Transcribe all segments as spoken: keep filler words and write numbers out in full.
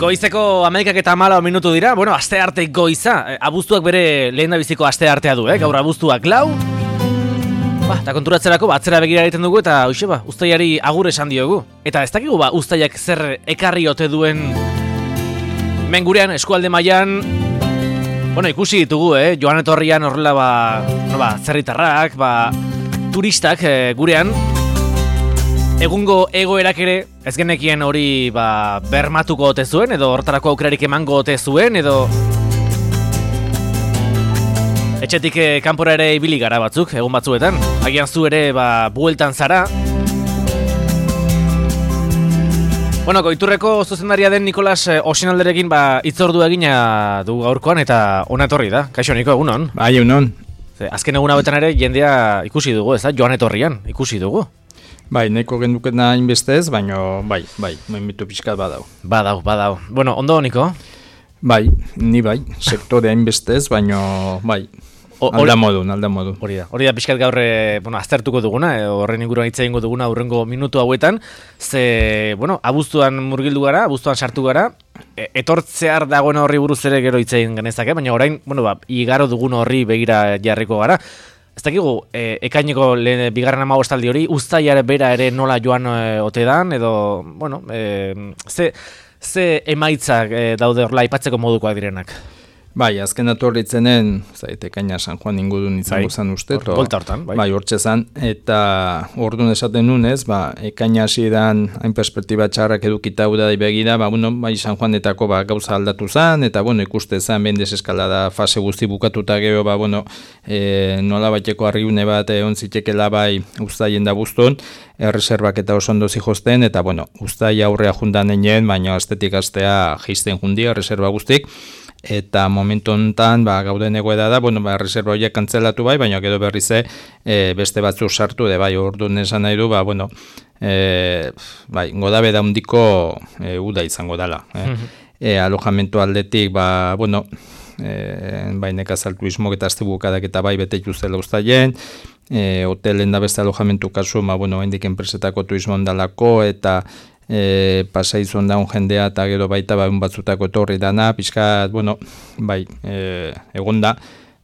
Goizeko hamaikak eta hamalau minutu dira, bueno, aste arte goiza, abuztuak bere lehen da biziko aste artea du, eh? Gaur abuztuak lau, ba, eta konturatzerako ba, atzera begira egiten dugu eta hoxe ba, uztailari agur esan diogu. Eta ez dakigu ba, uztailak zer ekarri ote duen mengurean, eskualde mailan, bueno, ikusi ditugu, eh? Joan etorrian horrela ba, no, ba, zerritarrak, ba, turistak eh, gurean, egungo egoerak ere ez genekien hori ba, bermatuko ote zuen, edo hortarako aukerarik emango ote zuen, edo etxetik eh, kanpora ere ibili gara batzuk, egun batzuetan. Agian zu ere ba, bueltan zara. Bueno, Goiturreko zuzendaria den Nikolas eh, Osinalderekin ba, itzordu egina du gaurkoan eta ona etorri da. Kaixo, Niko, egunon? Bai, egunon. Azken egun hauetan ere jendea ikusi dugu, ez da? Joan etorrian, ikusi dugu. Bai, neko gendukena inbeste ez, baina bai, bai, momentu pixkat badau. Badau, badau. Bueno, ondo, Niko? Bai, ni bai, sektorea inbeste ez, baina bai, alda modun, alda modun. Hori da, hori da pixkat gaur, bueno, aztertuko duguna, horren inguruan hitz egingo duguna hurrengo minutu hauetan, ze, bueno, abuztuan murgildu gara, abuztuan sartu gara, etortzear dagoen horri buruz ere gero hitz egin genezake, baina orain, bueno, ba, igaro dugun horri begira jarriko gara. Ez dakigu, e, ekaineko lehen, bigarren hamabostaldi hori, uztailare bera ere nola joan e, ote dan, edo, bueno, e, ze, ze emaitzak e, daude horla aipatzeko modukoak direnak? Bai, azken atorritzenen, zait, ekaina San Juan ingurun izango bai, zan uste. Or, Bolta hortan, bai. Bai, hortxe zan, eta orduan esaten nunez, ba, ekaina hasi dan, hain perspektiba txarrak edukita da begira, ba, bueno, bai, San Juanetako ba, gauza aldatu zan, eta, bueno, ikuste zan, behin deseskalada fase guzti bukatuta gero, ba, bueno, e, nola baiteko arriune bat egon zitekela bai uztaien da buztun, erreserbak eta oso ondo zijosten, eta, bueno, uztai aurrea jundan egin, baina astetik astea jisten jundia, erreserba guztik, eta momentu honetan ba, gauden egoera da, bueno, ba, reserva horiek kantzelatu bai, baina gero berrize e, beste batzuk sartu, de bai, orduan esan nahi du, ba, bueno, e, bai, godabe da hundiko e, uda izango dela. Eh? Mm-hmm. e, alojamentu aldetik, ba, bueno, e, bai, nekazal turismok eta azte bukadak eta bai, bete juzela ustaien, e, hotelen da beste alojamentu kasu, ba, bueno, hendik enpresetako turismo ondalako, eta E, pasaizun daun jendea eta gero baita ba, batzutako etorri dana, pixkat, bueno, bai, e, egon da,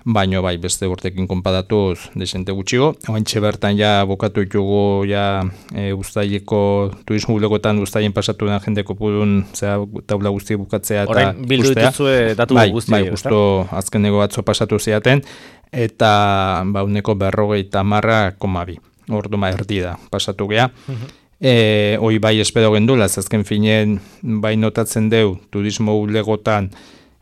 baino bai, beste urtekin konpadatuz desente gutxigo. Oantxe bertan ja bokatu ditugu ja e, uztaileko turismo bulegotan uztaien pasatu den jendeko pudun zera taula guzti bukatzea eta orain bildu dituzue datu bai, guzti. Bai, justo azkeneko batzo pasatu ziaten, eta ba, uneko berrogei tamarra komabi, ordu ma erdi da pasatu geha. Uh-huh. E, hoi bai espero gendula, azken finen bai notatzen deu turismo bulegotan,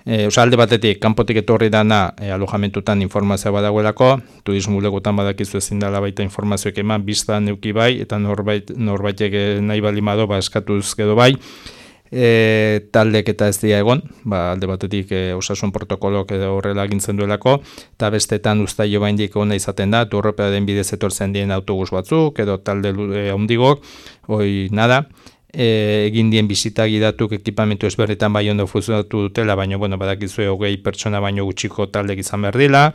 e, oza, alde batetik, kanpotik etorri dana e, alojamentutan informazioa badagoelako, turismo bulegotan badakizu ezin dela baita informazioek eman, biztan neuki bai, eta norbait, norbaitek nahi balimado, ba, eskatuz gero bai, e, taldek eta ez dira egon, ba, alde batetik e, osasun protokolok edo horrela agintzen duelako, eta bestetan uztailo baindik ona izaten da, turropea den bidez etortzen dien autobus batzuk, edo talde e, handigok, hoi nada, e, egin dien bisita gidatuk ekipamentu ezberritan bai ondo funtzionatu dutela, baina bueno, badakizue hogei pertsona baino gutxiko taldek izan behar dila,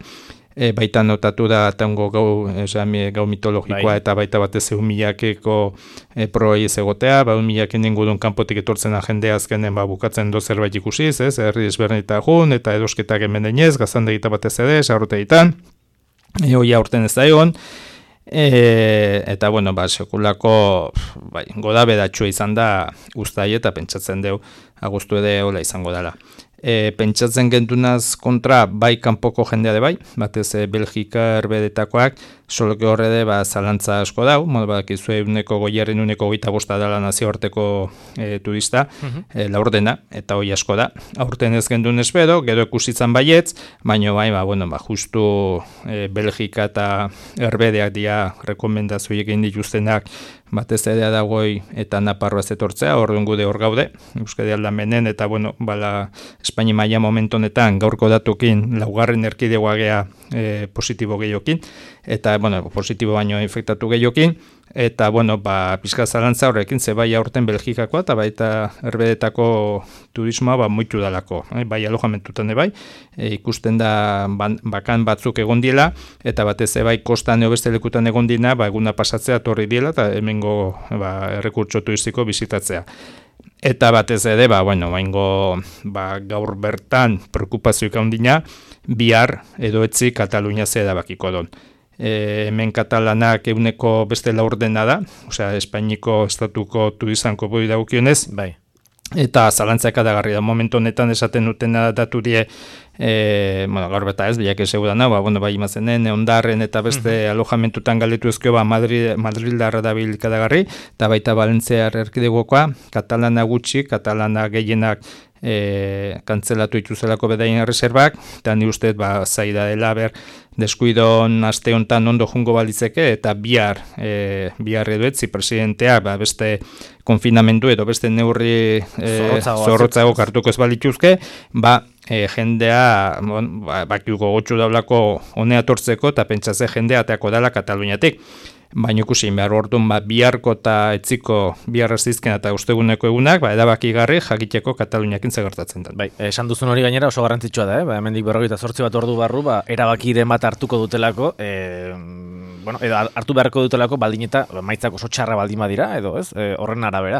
E, baita notatu da tango gau, esan, gau mitologikoa bai. Eta baita batez egun milakeko e, proei ez egotea, ba, un milaken ingurun kanpotik etortzen jendea azkenen ba, bukatzen do zerbait ikusiz, ez, herri ezberdineta jun, eta edosketak hemen denez, gaztandegita batez ere, sarrotegitan, e, hoia urten ez da egon, e, eta bueno, ba, sekulako bai, goda bedatxua izan da uztai eta pentsatzen deu, agustu ere hola izango dela. E, pentsatzen gentunaz kontra bai kanpoko jendea de bai, batez e, Belgika erbedetakoak, soloke horre de ba, zalantza asko dau, modu badakizue uneko goierren uneko goita bosta dela nazioarteko e, turista, uh-huh. e, laurdena, eta hoi asko da. Aurten ez gendun espero, gero ikusitzan baietz, baina bai, ba, bueno, ba, justu e, Belgika eta erbedeak dia rekomendazioik egin dituztenak, batez ere dagoi eta Naparroa etortzea, orduan gude hor gaude, Euskadi aldamenen, eta bueno, bala Espainia maila momentu honetan gaurko datukin laugarren erkidegoa gea e, positibo gehiokin, eta bueno, positibo baino infektatu gehiokin, eta bueno, ba, pizka zalantza horrekin, ze bai aurten Belgikakoa, eta baita erbedetako turismoa ba, muitu dalako, eh? Bai alojamentutan bai, e, ikusten da ban, bakan batzuk egon diela, eta batez bai kostan eo beste lekutan egon dina, ba, eguna pasatzea torri diela, eta hemengo ba, errekurtso turistiko bizitatzea. eta batez ere, ba, bueno, baingo, ba, gaur bertan preokupazioik handina, bihar edo etzi Katalunia ze erabakiko don. E, hemen katalanak euneko beste laurdena da, osea, Espainiko estatuko turizanko boi dagokionez, bai. Eta zalantzak adagarri da, momentu honetan esaten dutena datu die, e, bueno, gaur beta ez, bilak esegudana, ba, bueno, bai imazenen, ondarren eta beste uh-huh. alojamentutan galetu ezkio, ba, Madrid, Madrildarra da bilkadagarri, eta baita Valentziar erkidegokoa, katalana gutxi, katalana gehienak e, kantzelatu ituzelako bedaien erreserbak, eta ni uste, ba, zaida dela, ber, deskuidon aste hontan ondo jungo balitzeke, eta bihar, e, bihar edo etzi presidentea, ba, beste konfinamendu edo beste neurri e, zorrotzago kartuko ez balituzke, ba, e, jendea, bon, ba, bakiuko gotxu daulako honea tortzeko, eta pentsatze jendea ateako dela Kataluniatik. Baina ikusi, behar orduan, ba, biharko eta etziko bihar azizken eta usteguneko egunak, ba, edabakigarri jakiteko Kataluniakin zegertatzen da. Bai, esan duzun hori gainera oso garrantzitsua da, eh? Ba, hemendik berrogeita zortzi bat ordu barru, ba, erabakiren bat hartuko dutelako, e, bueno, edo hartu beharko dutelako baldin eta maitzak oso txarra baldin badira, edo ez, e, horren arabera.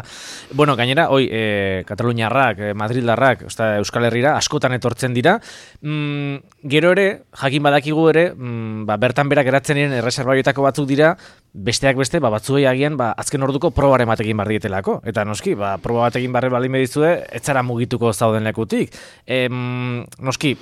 Bueno, gainera, hoi, e, Kataluniarrak, e, Madrildarrak, osta, Euskal Herrira, askotan etortzen dira, mm, gero ere, jakin badakigu ere, mm, ba, bertan berak geratzen diren erreserbaioetako batzuk dira, besteak beste, ba, batzuei agian, ba, azken orduko probaren batekin bar dietelako. Eta noski, ba, proba batekin barre baldin bedizue, ez zara mugituko zauden lekutik. Em, noski,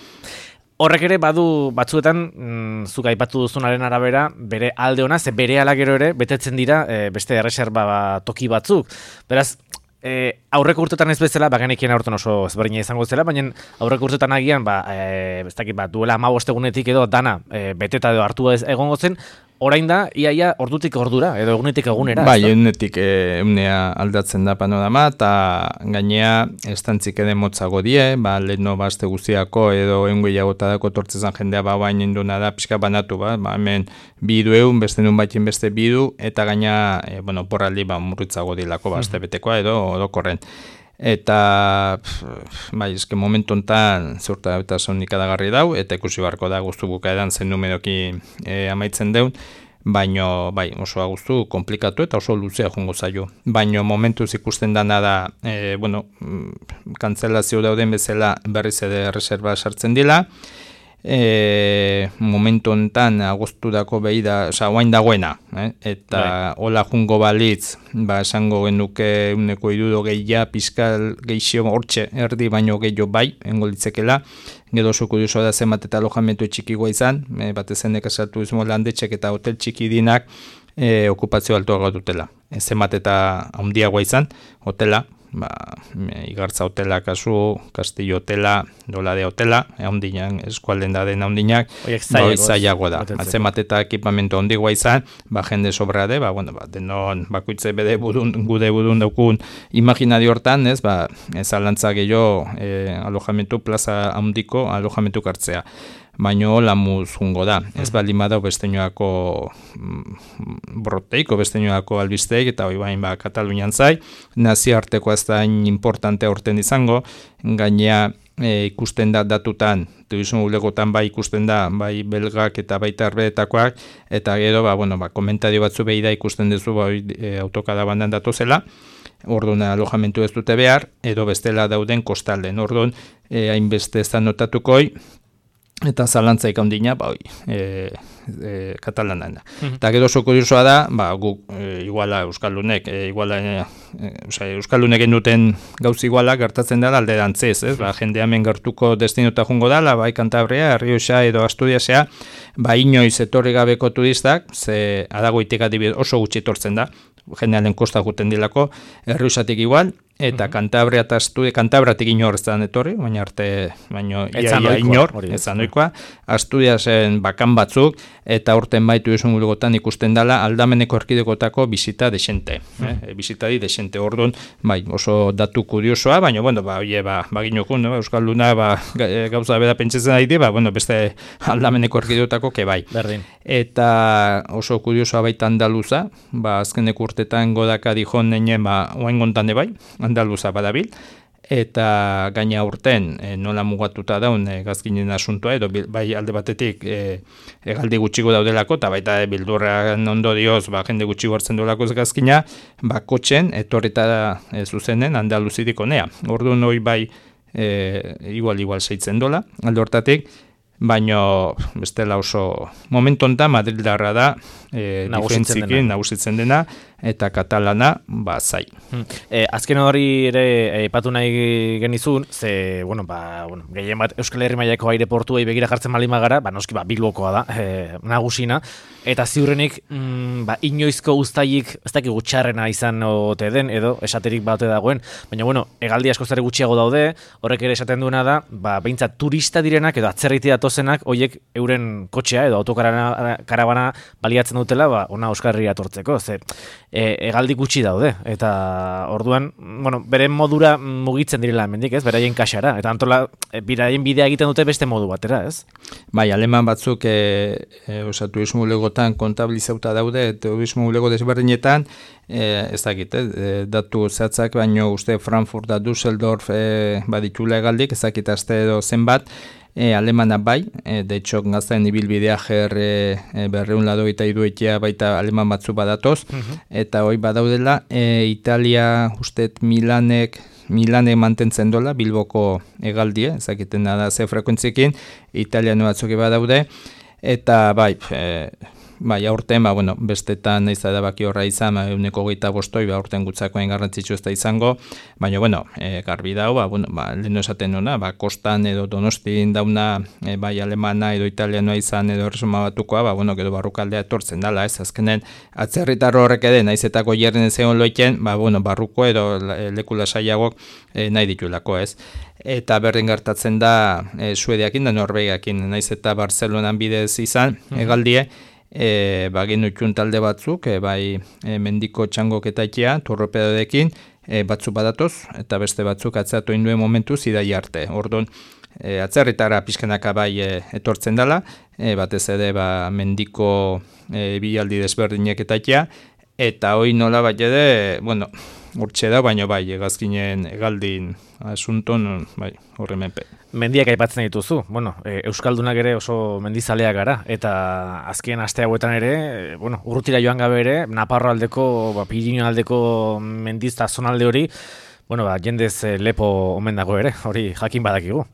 horrek ere badu batzuetan, mm, zuk aipatu duzunaren arabera, bere alde ona, ze bere ala gero ere, betetzen dira e, beste erreserba ba, toki batzuk. Beraz, E, aurreko urtetan ez bezala, bagenekien aurten oso ezberdina izango zela, baina aurreko urtetan agian, ba, e, ez dakit, ba, duela hamabost egunetik edo dana e, beteta edo hartua ez egongo zen, orain da, iaia ordutik ordura, edo egunetik egunera. Bai, egunetik egunea aldatzen da panorama, eta gainea estantzik ere motzago die, ba, leheno bazte guztiako edo egun gehiagotadako tortzezan jendea ba, bain induna da, pixka banatu, ba, ba hemen bidu egun, beste nun baitin beste bidu, eta gaina, e, bueno, porraldi ba, murritzago dilako, ba, azte betekoa edo orokorren. Eta, pff, bai, eske momentu honetan zurta eta sonik adagarri dau, eta ikusi beharko da guztu bukaeran zen numeroki e, amaitzen deun, baino, bai, oso guztu komplikatu eta oso luzea jongo zaio. Baino momentuz ikusten dana da, e, bueno, kantzelazio dauden bezala berriz ere reserva sartzen dila, E, momentu honetan agostudako behi da, oza, oain dagoena, eh? Eta bai. Hola jungo balitz, ba, esango genuke uneko irudo gehia, pizkal gehixio hortxe, erdi baino gehiago bai, engolitzekela, gero oso kurioso da zenbat eta alojamentu txikigoa izan, e, batezenek esatu izmo landetxek eta hotel txiki dinak e, okupazio altuago dutela. E, zenbat eta handiagoa izan, hotela, ba, igartza hotela kasu, Castillo hotela, Dolade hotela, handinak, eskualden da den handinak, ba, zailago da. Zenbat eta ekipamentu handiagoa izan, ba, jende sobra de, ba, bueno, ba, denon bakoitze bede budun, gude budun daukun imaginario hortan, ez, ba, ez alantza gehiago e, alojamentu, plaza handiko alojamentu kartzea. Baino hola muz jungo da. Ez baldin badau besteñoako broteiko, besteñoako albisteik, eta hoi bain ba Katalunian zai, nazioarteko ez da importante horten izango, gainea e, ikusten da datutan, turismo bulegotan bai ikusten da, bai belgak eta baita arbeetakoak, eta gero, ba, bueno, ba, komentario batzu behi da ikusten duzu ba, e, autokada bandan datozela, orduan alojamentu ez dute behar, edo bestela dauden kostalden, orduan e, hainbeste ez da notatukoi, eta zalantzaik handina, ba, oi, e, e, katalanan da. Mm-hmm. Eta gero oso kuriosoa da, ba, guk, e, iguala Euskaldunek, e, iguala, e, e, Euskaldunek duten gauz iguala gertatzen da alde dantzez, ez? Ba, jende hemen gertuko destinota jungo dala, bai Kantabria, Errioxa edo Asturiasea, ba, inoiz etorri gabeko turistak, ze adagoitik adibidez oso gutxi etortzen da, jendearen kosta guten dilako, Errioxatik igual, eta mm-hmm. Kantabria eta Asturias, Kantabratik inor ez da etorri, baina arte, baina ia, ia inor, ez da noikoa, Asturiasen bakan batzuk, eta horten baitu esun gulgotan ikusten dela aldameneko erkidekotako bizita desente, mm-hmm. eh? Bizitari desente, orduan, bai, oso datu kuriosoa, baina, bueno, ba, oie, ba, baginokun, no? Euskalduna, ba, gauza beda pentsatzen ari, ba, bueno, beste aldameneko erkidekotako, ke bai. Berdin. Eta oso kuriosoa baita Andaluza, ba, azkeneko urtetan godaka dijon neinen, ba, oain gontane bai, Andaluza badabil, eta gaina urten e, nola mugatuta daun e, gazkinen asuntoa, edo bai alde batetik e, egaldi gutxiko daudelako, eta baita e, bildurran ondorioz ba, jende gutxi hartzen duelako gazkina, ba, kotxen etorrita e, zuzenen Andaluzitik honea. Orduan hori bai e, igual igual seitzen dola, alde hortatik, baino bestela oso momentu honetan Madrildarra da e, diferentzikin nagusitzen dena eta katalana ba zai. Hmm. E, azken hori ere aipatu nahi genizun, ze bueno, ba, bueno, gehien bat Euskal Herri mailako aireportuei begira jartzen baldin bagara, ba noski ba Bilbokoa da, e, nagusina, eta ziurrenik mm, ba, inoizko uztailik ez dakit gutxarrena izan ote den edo esaterik bate dagoen, baina bueno, hegaldi askoz ere gutxiago daude, horrek ere esaten duena da, ba behintzat turista direnak edo atzerritik datozenak hoiek euren kotxea edo autokarabana baliatzen dutela, ba ona Euskal Herria etortzeko, ze e, hegaldi gutxi daude eta orduan, bueno, beren modura mugitzen direla hemendik, ez? Beraien kaxara eta antola e, biraien bidea egiten dute beste modu batera, ez? Bai, aleman batzuk e, e, osa, turismo bulegotan kontabilizauta daude, turismo bulego desberdinetan, e, ez dakit, e, datu zehatzak, baino uste Frankfurt da Düsseldorf e, baditula hegaldik, ez dakit aste edo zenbat, E, alemana bai, e, de hecho gazten ibilbidea ger e, berreun lado eta iduetia baita aleman batzu badatoz, uh-huh. Eta hoi badaudela, e, Italia ustet Milanek, Milanek mantentzen dola, Bilboko hegaldie, ezakiten da ze frekuentziekin, Italia batzuke badaude, eta bai, e, bai, aurten, ba, bueno, bestetan naiz edabaki horra izan, ba, euneko geita bostoi, ba, aurten gutzakoen garrantzitsu ez da izango, baina, bueno, e, garbi dau, ba, bueno, ba, leheno esaten nuna, ba, kostan edo donostin dauna, e, bai, alemana edo italianoa izan edo erresuma batukoa, ba, bueno, gero barrukaldea etortzen dala, ez, azkenen, atzerritarro horrek eden, naizetako jerren zegoen loiken, ba, bueno, barruko edo lekula saiagok e, nahi ditulako, ez. Eta berdin gertatzen da e, Suediakin da Norvegiakin, naiz eta Barcelonan bidez izan, mm-hmm. Egaldie, E, bagin utxun talde batzuk, e, bai e, mendiko txangoketaikea, torropedodekin, e, batzuk badatoz, eta beste batzuk atzeratu induen momentu zidai arte. Orduan, e, atzerritara pixkanaka bai e, etortzen dela, e, batez ere ba, mendiko e, bilaldi desberdinek etaikea, eta hoi nola bat ere, bueno, urtxe da, baina bai, egazkinen egaldin asunton, bai, horre menpe. Mendiak aipatzen dituzu, bueno, e, Euskaldunak ere oso mendizaleak gara, eta azken aste hauetan ere, e, bueno, urrutira joan gabe ere, Naparro aldeko, ba, Pirinio aldeko mendizta zonalde hori, bueno, ba, jendez e, lepo omen dago ere, hori jakin badakigu.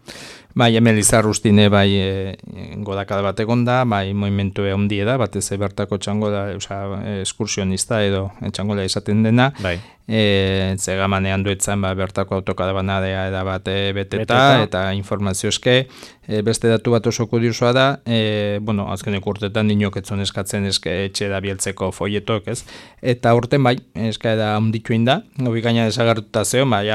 Bai, hemen Lizarrustine bai e, godakada bat egon da, bai movimentu handi da, batez bertako txango da, oza, eskursionista edo txangola izaten dena, bai. E, zegamanean duetzen ba, bertako autokadabanadea eda bat e, beteta, beteta, eta informazio eske, e, beste datu bat oso kuriosoa da, e, bueno, azkenek urtetan dinok etzon eskatzen eske etxe da bieltzeko foietok, ez? Eta urten bai, eska da ondituin da, gobi gaina desagartuta zeo, bai,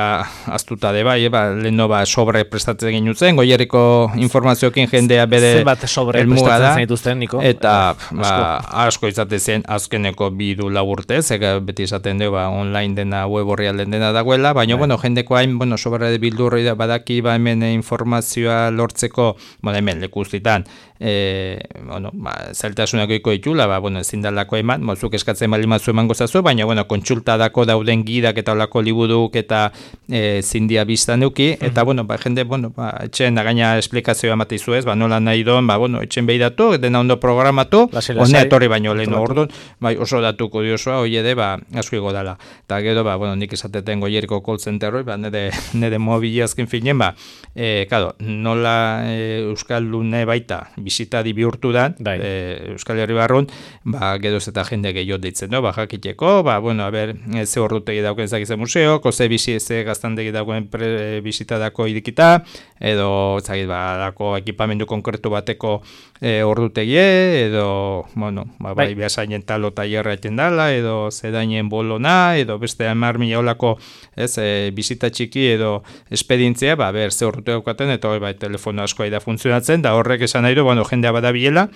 aztuta de bai, e, ba, leheno ba, sobre prestatzen genutzen, goieriko informazioekin jendea bere zenbat sobre prestatzen zenituzten, Niko? Eta ba, asko. asko izate zen azkeneko bi du lau urtez, ega beti izaten dugu ba, online dena web horrialden dena dagoela, baina, bueno, jendeko hain, bueno, sobera de bildurri da badaki, ba, hemen informazioa lortzeko, bueno, hemen lekuztitan, e, bueno, ba, zailtasunako iko ditula, ba, bueno, ezin dalako eman, mozuk eskatzen balimazu eman gozazu, baina, bueno, kontsultadako dauden gidak eta olako liburuk eta e, zindia biztan duki, eta, mm-hmm. bueno, ba, jende, bueno, ba, etxen gaina esplikazioa mateizu ez, ba, nola nahi doan, ba, bueno, etxen behidatu, dena ondo programatu, honea etorri baino lehen orduan, bai, oso datu kuriosoa, hoi ede, ba, asko igo dala. Eta gero, ba, bueno, nik esateten goieriko call centerroi, ba, nire, nire mobili azken finen, ba, e, kado, nola e, Euskaldune baita, bizitadi bihurtu da, e, Euskal Herri barrun, ba, geroz eta jende gehiot ditzen, no? Ba, jakiteko, ba, bueno, a ber, ze horrutegi dauken zakizen museo, ze bizi, ze gaztandegi dagoen pre, bizitadako idikita, edo, zakit, ba, dako ekipamendu konkretu bateko e, ordutegie, edo, bueno, ba, bai, behasainen talo taierra eten dala, edo zedainen bolona, edo beste hamar mila olako, ez, e, bizita txiki edo espedientzia, ba, ber, ze orrute daukaten, eta hori, bai, telefono askoa da funtzionatzen, da horrek esan nahi du, bueno, jendea badabilela,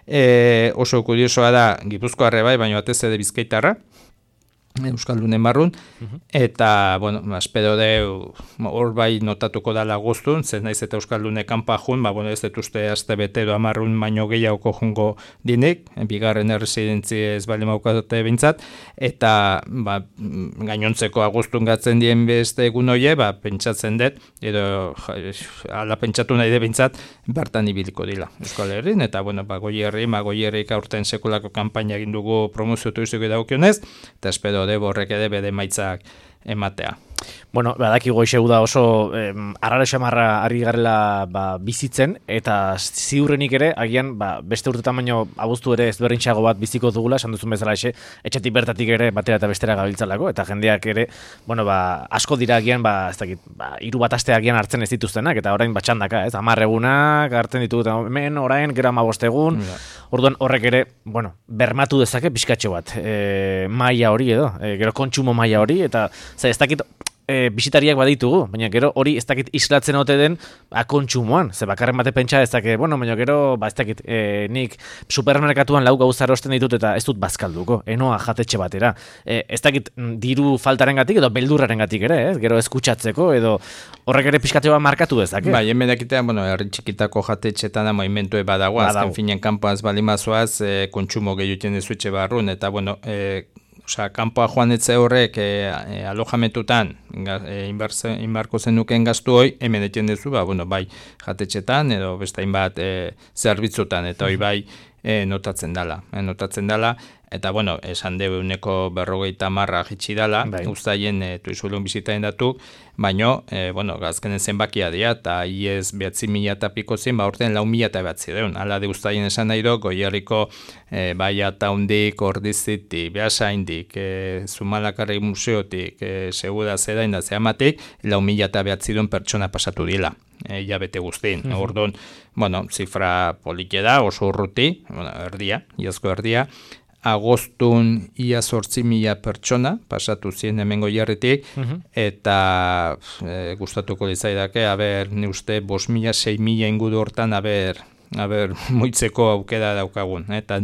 e, oso kuriosoa da, Gipuzkoarre bai, baina batez ere Bizkaitarra, Euskaldunen barrun, eta, bueno, espero deu, hor bai notatuko dala guztun, zen naiz eta Euskaldune kanpa jun, ba, bueno, ez dut uste azte betero amarrun baino gehiago jungo dinik, bigarren erresidentzi ez bali maukatote bintzat, eta, ba, gainontzeko agustun gatzen dien beste egun hoie, ba, pentsatzen dut, edo, ala pentsatu nahi de bintzat, bertan ibiliko dila Euskal Herrin, eta, bueno, ba, goi herri, ma goi herrik aurten sekulako kampaina egin dugu promozio turistiko edagokionez, eta espero de borrek ere bede maitzak ematea. Bueno, badaki goixegu da oso eh, arrara xamarra ari garela ba, bizitzen, eta ziurrenik ere, agian ba, beste urtetan baino abuztu ere ezberdintxago bat biziko dugula, esan duzun bezala exe, etxetik bertatik ere batera eta bestera gabiltzalako, eta jendeak ere, bueno, ba, asko dira agian, ba, ez dakit, ba, hiru bat aste agian hartzen ez dituztenak, eta orain batxandaka, ez, hamar egunak hartzen ditugu, eta hemen orain, gero hamabost egun, ja. Orduan horrek ere, bueno, bermatu dezake pixkatxo bat, e, maila hori edo, e, gero kontsumo maila hori, eta ez dakit, E, bisitariak baditugu, baina gero hori ez dakit islatzen ote den ba, kontsumoan, ze bakarren bate pentsa ez dakit, bueno, baina gero, ba, ez dakit, e, nik supermerkatuan lau gauza erosten ditut eta ez dut bazkalduko, enoa jatetxe batera. E, ez dakit diru faltarengatik edo beldurrarengatik ere, ez? Gero eskutsatzeko edo horrek ere pixkatze bat markatu dezake. Bai, hemen dakitean, bueno, herri txikitako jatetxetan moimentue badago, azken finen kanpoaz balimazoaz, e, kontsumo gehiuten dezuetxe barrun, eta, bueno, e, Osa, kanpoa joan etze horrek e, e, alojamentutan e, inbarko zenuken gaztu hoi, hemen etien duzu, ba, bueno, bai jatetxetan edo beste hainbat e, zerbitzutan, eta hoi bai e, notatzen dala. E, notatzen dala, eta, bueno, esan deu euneko berrogeita marra jitsi dala, bai. Uztaien e, tuizuelun bizitaen datu, baino, e, bueno, gazkenen zenbakia dira, eta iez behatzi mila eta piko zen, ba, orten lau mila eta behatzi deun. Hala de uztaien esan nahi do, goierriko e, bai ataundik, ordizitik, behasaindik, e, Zumalakarri museotik, e, seguda zedain da zehamatik, lau mila eta behatzi deun pertsona pasatu dila. E, ja bete guztin. Uh-huh. Orduan, bueno, zifra polike da, oso urruti, bueno, erdia, iazko erdia, agostun ia zortzi mila pertsona, pasatu zien hemengo jarritik, uh-huh. eta e, gustatuko lizaidake, haber, ne uste, bost mila, sei mila ingudu hortan, haber, haber, moitzeko aukera daukagun. Eta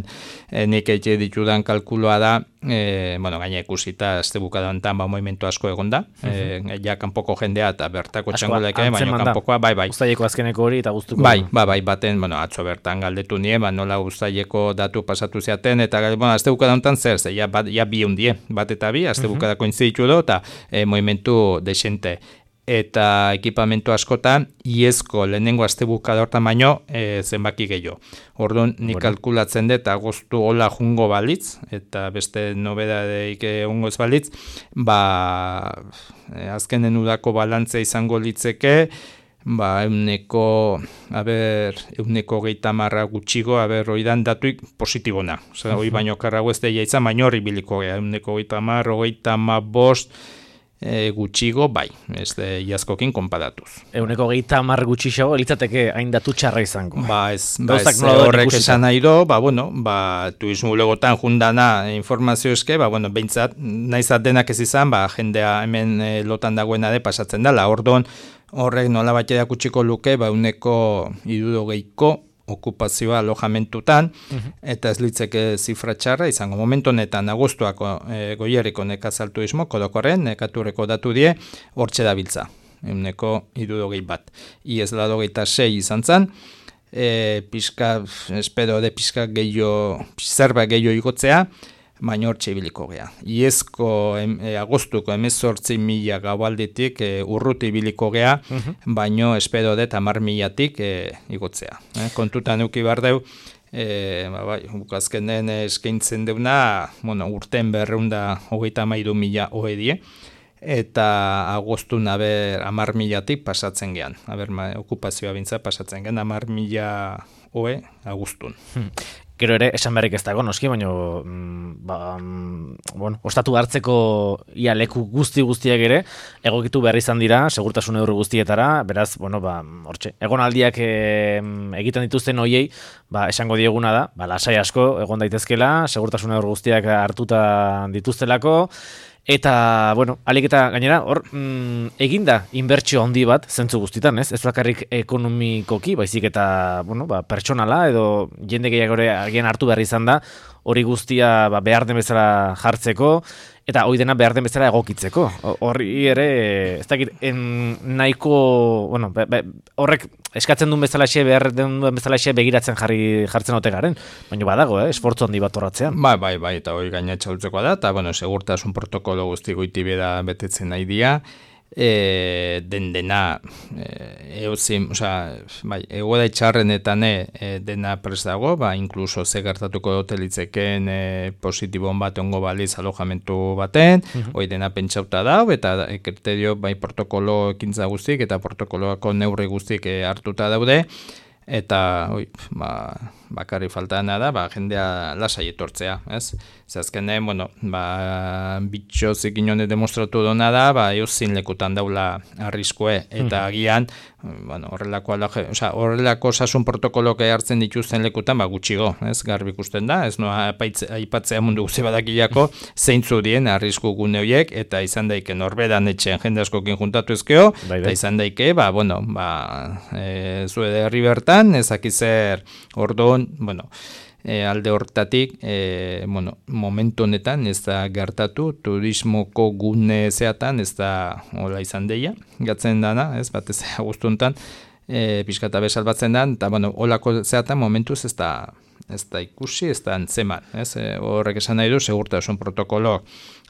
e, nik eitxe ditudan kalkuloa da, e, bueno, gaina ikusita, azte bukadantan, ba, movimentu asko egon da, uh-huh. e, ja, kanpoko jendea, eta bertako txanguleke, baina kanpokoa, bai, bai. Uztaileko azkeneko hori, eta guztuko. Bai, bai, bai, baten, bueno, atzo bertan galdetu nien, ba, nola uztaileko datu pasatu zeaten, eta, bueno, azte bukadantan zer, ze, ja, bat, ja bi hundie, bat eta bi, azte uh-huh. bukadako intziditu do, eta e, movimentu desente. Eta ekipamentu askotan, iezko lehenengo astebukada hortan baino e, zenbaki gehiago. Orduan, nik bueno. kalkulatzen dut, agostu hola jungo balitz, eta beste nobedadeik egongo ez balitz, ba, e, azkenen udako balantzea izango litzeke, ba, euneko, aber, euneko geita marra gutxigo, aber, oidan datuik positibona. Osa, hoi baino karrago ez deia izan, baino horri biliko gea, euneko geita marra, geita ma bost, E, gutxigo, bai, ez de iazkokin konparatuz. Euneko gehieta hamar gutxixago, elitzateke hain datu txarra izango. Ba, ez, ba, ez horrek esan nahi do, ba, bueno, ba, turismo legotan jundana informazio eske, ba, bueno, behintzat, naizat denak ez izan, ba, jendea hemen e, lotan dagoena de pasatzen dela, ordon, horrek nola bat edakutsiko luke, ba, euneko irurogeiko okupazioa alojamentutan, uh-huh. eta ez litzeke zifra txarra, izango momentu honetan agostuako e, goierriko nekazaltuismo, kodokorren, nekaturreko datu die, hortxe dabiltza, euneko irurogei bat. Iez ladogeita sei izan zen, e, pixka, espero de pixka gehiago, zerba gehiago igotzea, baina hortxe ibiliko gea. Iezko em, e, agostuko emezortzi mila gaualditik e, urruti ibiliko gea, uh-huh. baina espero dut hamar milatik e, igotzea. E, kontutan uki behar deu, e, ba, bai, bukazkenen eskaintzen deuna, bueno, urten berreunda hogeita mairu mila hoedie, eta agostun aber hamar milatik pasatzen gean. Aber, ma, okupazioa bintza pasatzen gean, hamar mila hoe agustun. Hmm. Gero ere, esan berrik ez dago, noski, baina, ba, bueno, ostatu hartzeko ia leku guzti guztiak ere, egokitu behar izan dira, segurtasun neurri guztietara, beraz, bueno, ba, hortxe, egonaldiak e, egiten dituzten hoiei, ba, esango dieguna da, ba, lasai asko egon daitezkela, segurtasun neurri guztiak hartuta dituztelako, eta, bueno, alik eta gainera, hor, mm, eginda inbertsio handi bat, zentzu guztitan, ez? Ez bakarrik ekonomikoki, baizik eta, bueno, ba, pertsonala, edo jende gehiagore agian hartu behar izan da, hori guztia ba, behar den bezala jartzeko, Eta hoi dena behar den bezala egokitzeko. Horri ere, ez dakit, en, nahiko, bueno, be, be, horrek eskatzen duen bezalaxe, behar den bezalaxe begiratzen jarri jartzen ote garen. Baina badago, eh, esfortzu handi bat horratzean. Bai, bai, bai, eta hori gaina txautzekoa da, eta, bueno, segurtasun protokolo guzti goiti beda betetzen nahi dia, e, den dena, e, euzin, osea, bai, egoera itxarrenetan e, dena prest dago, ba, inkluso ze gertatuko hotelitzeken e, positibon bat ongo baliz alojamentu baten, uh-huh. hori dena pentsauta dau, eta e, kriterio, bai, protokolo ekintza guztik, eta protokoloako neurri guztik e, hartuta daude, eta, oi, ba, bakarri faltana da, ba, jendea lasai etortzea, ez? Zazkenen, bueno, ba, bitxo zikinone demostratu dona da, ba, euzin lekutan daula arriskue, eta agian, bueno, horrelako, alaje, oza, horrelako osasun protokoloak hartzen dituzten lekutan, ba, gutxigo, ez? Garbi ikusten da, ez noa aipatzea mundu guzi badakilako, zeintzu dien arrisku gune horiek, eta izan daike norberan etxean jende askokin juntatu ezkeo, bai, bai. Eta izan daike, ba, bueno, ba, e, zue herri bertan, ezakizer orduan, bueno, e, alde hortatik, e, bueno, momentu honetan ez da gertatu, turismoko gune zeatan ez da hola izan deia, gatzen dana, ez batez agustuntan, e, pixkata bezal batzen da, eta bueno, holako zeatan momentuz ez da, ez da ikusi, ez da antzeman, ez, e, horrek esan nahi du, segurtasun protokolo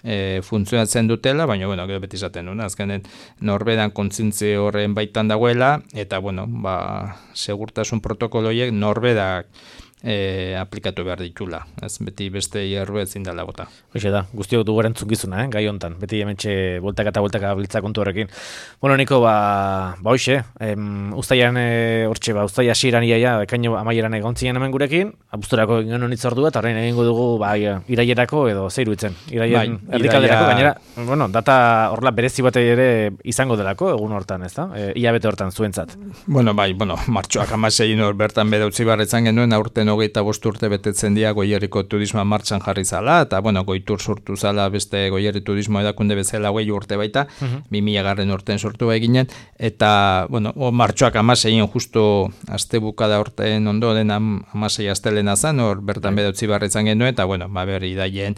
e, funtzionatzen dutela, baina, bueno, gero beti izaten duna, azkenen norberan kontzintzi horren baitan dagoela, eta, bueno, ba, segurtasun protokoloiek norberak E, aplikatu behar ditula, ez beti beste hierro ezin dela bota. Hoxe da, guztiok dugu erantzukizuna, eh, gai hontan, beti hementxe boltaka eta boltaka biltza kontu horrekin. Bueno, Niko, ba, ba hoxe, em, ustaian hortxe, ba, ustaia hasieran iaia, ekaino amaieran egon zinen hemen gurekin, abuzturako egin honitz ordua, eta horrein egingo dugu, ba, irailerako edo zeiru itzen, iraien bai, erdikalderako, iraia... gainera, bueno, data horrela berezi bat ere izango delako, egun hortan, ez da? E, Iabete hortan, zuentzat. Bueno, bai, bueno, martxoak amasein hor bertan bere utzi barretzan genuen, aurten hogeita bost urte betetzen dia Goierriko turismoa martxan jarri zala, eta bueno, Goitur sortu zala beste Goierri turismo edakunde bezala hogei urte baita, uh-huh. bi mila garren urten sortu eginen, eta bueno, o, martxoak amasein justu aste bukada urten ondoren am, amasei astelena zan, hor bertan uh-huh. bedautzi barretzan genuen, eta bueno, ba berri daien,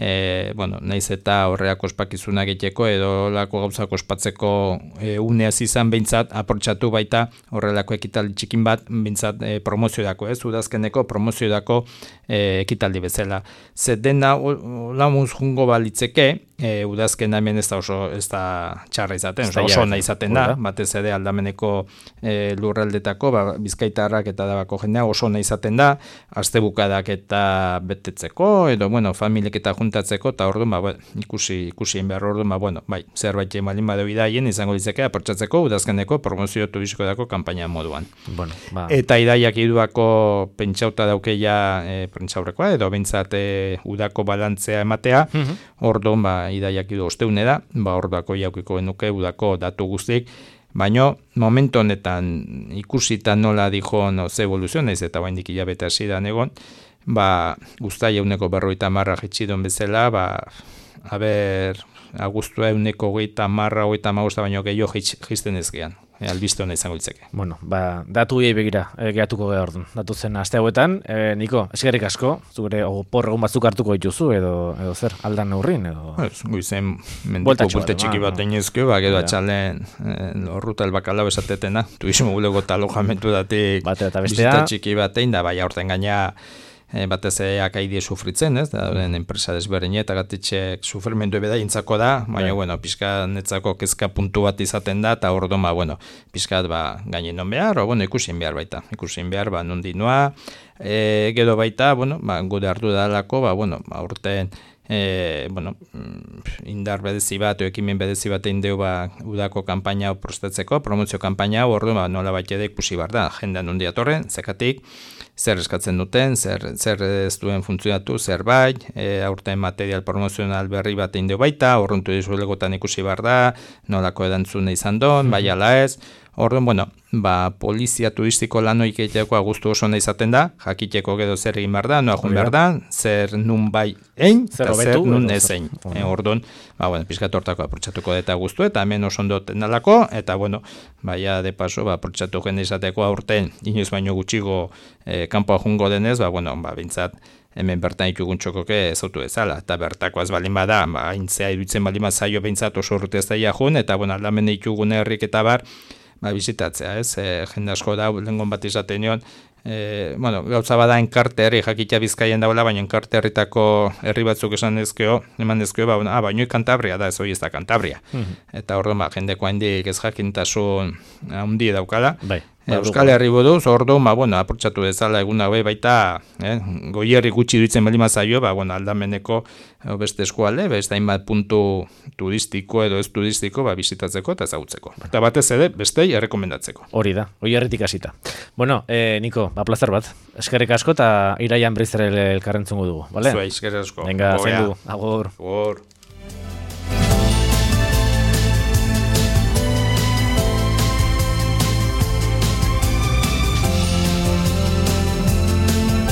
E, bueno, naiz eta horreak ospakizunak egiteko edo lako gauzak ospatzeko e, uneaz izan behintzat aportxatu baita horrelako ekitaldi txikin bat behintzat e, promozioedako, ez, udazkeneko promozioedako e, ekitaldi bezala. Zer dena lamuz jungo balitzeke, e, udazken hemen ez da oso ez da txarra izaten, oso, oso nahi izaten da, batez ere aldameneko e, lurraldetako, ba, bizkaitarrak eta dabako jendea oso nahi izaten da, astebukadak eta betetzeko, edo, bueno, familiek eta juntatzeko, eta orduan, ba, ikusi, ikusien behar orduan, ba, bueno, bai, zerbait emalin badeu idaien, izango ditzeke, aportzatzeko, udazkeneko promozio turistikoetako kanpaina moduan. Bueno, ba. Eta idaiak iduako pentsauta daukeia e, prentsaurrekoa, edo bentsat e, udako balantzea ematea, uh-huh. orduan, ba, idaiak idu osteune da, ba, orduako jaukiko genuke udako datu guztik, baino, momentu honetan ikusita nola dijo no, ze evoluzio, naiz eta baindik hilabete hasi da egon, ba, guztai euneko berroita marra jetxidon bezala, ba, haber, agustua euneko goita marra, goita magusta baino gehiago jizten ez gehan. E, albiste hona izango ditzake. Bueno, ba, datu hiei begira, e, gehatuko geha orduan. Datu zen aste hauetan, e, Niko, eskerrik asko, zure porre egun batzuk hartuko dituzu, edo, edo zer, aldan neurrin, edo... Ez, guizen, mendiko bulte txiki bat dainezkeo, ba, gero atxalen, e, horruta elbakalau esatetena, tuismo gulego talojamentu datik, bizita txiki bat egin, da, bai, aurten gaina, E, batez akaidie sufritzen, ez, da, den enpresa desberdine eta gatitxek sufrimendu ebeda intzako da, baina, yeah. bueno, pixka netzako kezka puntu bat izaten da, eta hor doma, bueno, pixkat, ba, gainen non behar, o, bueno, ikusien behar baita, ikusien behar, ba, nondi noa, e, gero baita, bueno, ba, gure hartu dalako, ba, bueno, ba, urten, E, bueno, indar bedezi bat, ekimen bedezi bat egin deu ba, udako kanpaina prostatzeko, promozio kanpaina hor du, ba, nola bat jede ikusi bar da, jendean hundi atorren, zekatik, zer eskatzen duten, zer, zer ez duen funtzionatu, zer bai, e, aurten material promozional berri bat egin deu baita, horruntu dizuelegotan ikusi bar da, nolako edantzune izan don, bai ala ez, orduan, bueno, ba, polizia turistiko lanoik egiteko agustu oso nahi izaten da, jakiteko gero zer egin behar da, noa jun behar da, zer nun bai egin, eta zer nun ez egin. E, orduan, ba, bueno, pizkat hortako aprotxatuko eta gustu, eta hemen oso ondo tenalako, eta, bueno, baia de paso, ba, aprotxatu jende izateko aurten, inoiz baino gutxigo e, kanpoa jungo denez, ba, bueno, ba, bintzat, hemen bertan ikugun txokoke zautu ezala, eta bertako ez balin bada, ba, aintzea iruditzen balin bat zaio behintzat oso urte ez daia jun, eta bueno, aldamene ikugun herrik eta bar, ba, bizitatzea, ez, e, jende asko da, lengon bat izaten nion, e, bueno, gauza bada enkarte herri, jakitea Bizkaian daula, baina enkarte herritako herri batzuk esan dezkeo, eman dezkeo, ba, ah, baino Kantabria da, ez hori ez da Kantabria. Mm-hmm. Eta orduan, ba, jendeko handik ez jakintasun handi daukala. Bai. Euskal Herri buruz, orduan, ba, bueno, apurtxatu dezala egun hau baita, eh, goierri gutxi duitzen bali mazaio, ba, bueno, aldameneko eh, beste eskualde, beste hainbat puntu turistiko edo ez turistiko, ba, bizitatzeko eta ezagutzeko. Eta batez ere, bestei errekomendatzeko. Hori da, goierritik hasita. Bueno, eh, Niko, ba, plazer bat. Eskerrik asko eta iraian berriz ere elkarrentzungo dugu, bale? Zua, eskerrik asko. Venga, zendu, agur. Agur.